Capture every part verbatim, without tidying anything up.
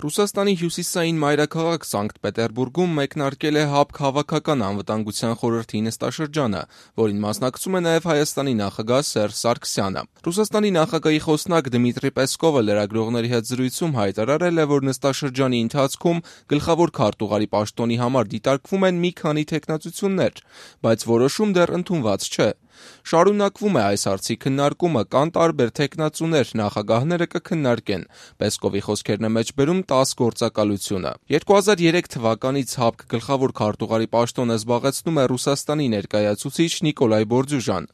Ռուսաստանի հյուսիսային մայրաքաղաք Սանկտ Պետերբուրգում մեկնարկել է ՀԱՊԿ Հավաքական անվտանգության խորհրդի նստաշրջանը, որին մասնակցում է նաև Հայաստանի նախագահ Սերժ Սարգսյանը։ Ռուսաստանի նախագահի խոսնակ Դմիտրի Պեսկովը լրագրողների հետ զրույցում հայտարարել է, որ նստաշրջանի ընթացքում գլխավոր քարտուղարի պաշտոնի համար դիտարկվում են մի քանի թեկնածություններ, բայց որոշում դեռ ընդունված չէ։ Շարունակվում է այս հարցի քննարկումը, կան տարբեր թեկնածուներ, նախագահները կքննարկեն, Պեսկովի խոսքերն է մեջբերում տաս գործակալությունը։ երկու հազար երեք թվականից ՀԱՊԿ գլխավոր քարտուղարի պաշտոնը զբաղեցնում է Ռուսաստանի ներկայացուցիչ Նիկոլայ Բորդյուժան։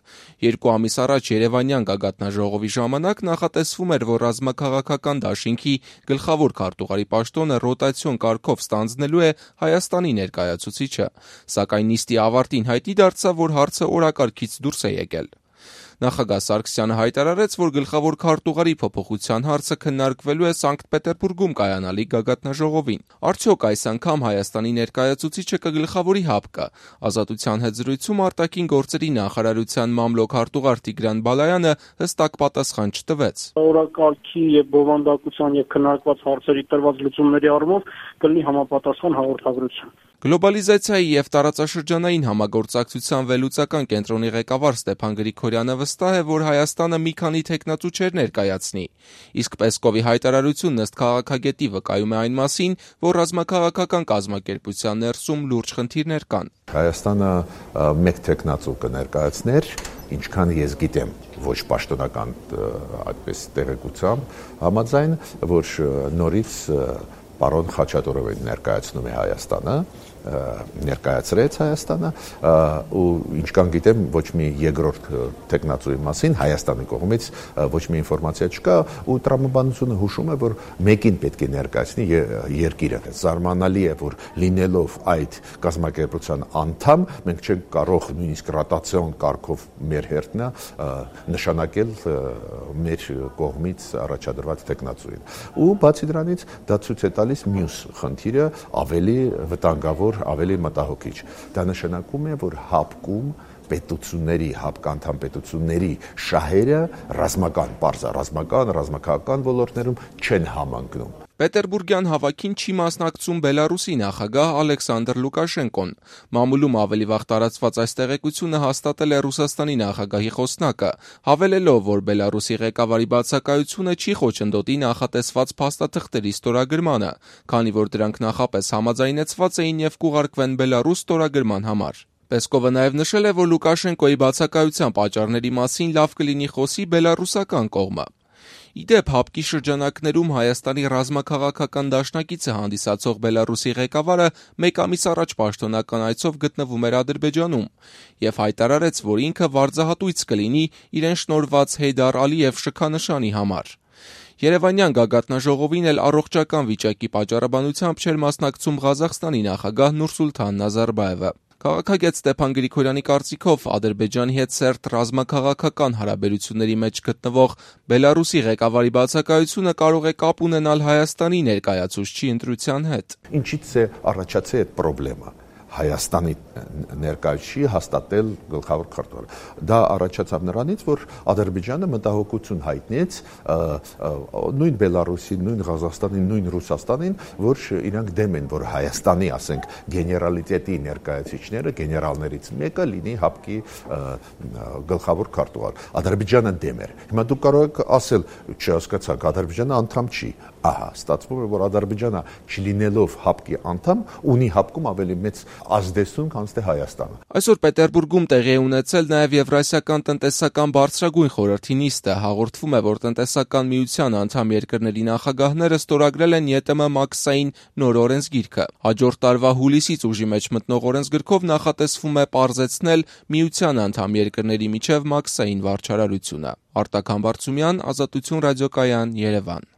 Երկու ամիս առաջ Երևանյան գագաթնաժողովի ժամանակ նախատեսվում էր, որ ռազմաքաղաքական դաշինքի գլխավոր քարտուղարի պաշտոնը ռոտացիոն կարգով ստանձնելու է Հայաստանի ներկայացուցիչը, սակայն նիստի ավարտին հայտնի դարձավ, որ հարցը օրակարգից դուրս է եկել։ Նախագահ Սարգսյանը հայտարարեց, որ գլխավոր քարտուղարի փոփոխության հարցը քննարկվելու է Սանկտ Պետերբուրգում կայանալիք գագաթնաժողովին։ Արդյոք այս անգամ Հայաստանի ներկայացուցիչը կգլխավորի ՀԱՊԿ-ը։ Ազատության հետ զրույցում արտաքին գործերի նախարարության մամլոք-քարտուղար Տիգրան Բալայանը հստակ պատասխան չտվեց։ Օրակարգի եւ բովանդակության եւ քննարկված հարցերի տրված լուծումների առումով կլինի համապատասխան հաղորդագրություն։ Գլոբալիզացիայի եւ տարածաշրջանային համագործակցության վերլուծական կենտրոնի ղեկավար Ստեփան Գրիգորյանը վստահ է, որ Հայաստանը մի քանի թեկնածու չէր ներկայացնի, իսկ Պեսկովի հայտարարությունն ըստ քաղաքագետի վկայում է այն մասին, որ ռազմաքաղաքական կազմակերպության ներսում լուրջ խնդիրներ կան։ Հայաստանը մեկ թեկնածու կներկայացներ, ինչքան ես գիտեմ, ոչ պաշտոնական այդպես տեղեկությամբ համաձայն, որ նորից պարոն Խաչատուրովին ներկայացնում է Հայաստանը, ներկայացրեց Հայաստանը ու ինչքան գիտեմ ոչ մի երկրորդ թեկնածուի մասին Հայաստանի կողմից ոչ մի ինֆորմացիա չկա ու տրամաբանությունը հուշում է, որ մեկին պետք է ներկայացնի երկիրը։ Զարմանալի է, որ լինելով այդ կազմակերպության անդամ մենք չենք կարող նույնիսկ ռոտացիոն կարգով մեր հերթնա նշանակել մեր կողմից առաջադրված թեկնածուին։ Ու բացի դրանից դա ցույց է տալիս մյուս խնդիրը ավելի վտանգավոր, ավելի մտահոգիչ։ Դա նշանակում է, որ ՀԱՊԿ-ում պետությունների, ՀԱՊԿ անդամ պետությունների շահերը ռազմական, պարզա ռազմական, ռազմաքաղաքական ոլորտներում չեն համընկնում։ Պետերբուրգյան հավաքին չի մասնակցում Բելարուսի նախագահ Ալեքսանդր Լուկաշենկոն։ Մամուլում ավելի վաղ տարածված այս տեղեկությունը հաստատել է Ռուսաստանի նախագահի խոսնակը, հավելելով, որ Բելարուսի ղեկավարի բացակայությունը չի խոչընդոտի նախատեսված փաստաթղթերի ստորագրմանը, քանի որ դրանք նախապես համաձայնեցված էին եւ կուղարկվեն Բելարուս ստորագրման համար։ Պեսկովը նաև նշել է, որ Լուկաշենկոյի բացակայության պատճառների մասին լավ կլինի խոսի բելարուսական կողմը։ Իդեպ ՀԱՊԿ-ի շրջանակներում Հայաստանի ռազմաքաղաքական դաշնակիցը հանդիսացող Բելարուսի ղեկավարը մեկ ամիս առաջ պաշտոնական այցով գտնվում էր Ադրբեջանում եւ հայտարարեց, որ ինքը վարձահատույց կլինի իրեն շնորհված Հեյդար Ալիև շքանշանի համար։ Երևանյան գագաթնաժողովին էլ առողջական վիճակի պատճառաբանությամբ չէր մասնակցում Ղազախստանի նախագահ Նուրսուլթան Նազարբաևը։ Քաղաքագետ Ստեփան Գրիգորյանի կարծիքով Ադրբեջանի հետ սերտ ռազմաքաղաքական հարաբերությունների մեջ գտնվող Բելարուսի ղեկավարի բացակայությունը կարող է կապ ունենալ Հայաստանի ներկայացուցչի ընտրության հետ։ Ինչից է առաջացել այդ խնդիրը։ Հայաստանի ներկայացուցիչի հաստատել գլխավոր քարտուղարը։ Դա առաջացավ նրանից, որ Ադրբեջանը մտահոգություն հայտնեց նույն Բելարուսին, նույն Ղազախստանին, նույն Ռուսաստանին, որ իրանք դեմ են, որ Հայաստանի, ասենք, գեներալիտետի ներկայացուցիչները, գեներալներից մեկը լինի ՀԱՊԿ-ի գլխավոր քարտուղար։ Ադրբեջանը դեմ էր։ Հիմա դուք կարող եք ասել, չհասկացաք, Ադրբեջանը անդամ չի։ Ահա, ստացվում է, որ Ադրբեջանը չլինելով ՀԱՊԿ-ի անդամ, ունի ՀԱՊԿ-ում ավելի մեծ ազդեցություն, քան թե Հայաստանը։ Այսօր Պետերբուրգում տեղի է ունեցել նաև Եվրասիական տնտեսական բարձրագույն խորհրդի նիստը։ Հաղորդվում է, որ տնտեսական միության անդամ երկրների նախագահները ստորագրել են ԵՏՄ Մաքսային նոր օրենսգիրքը։ Հաջորդ տարվա հուլիսից ուժի մեջ մտնող օրենսգրքով նախատեսվում է պարզեցնել միության անդամ երկրների միջև Մաքսային վարչարարությունը։ Արտակ Համբարձումյան, Ազատություն ռադիոկայան, Երևան։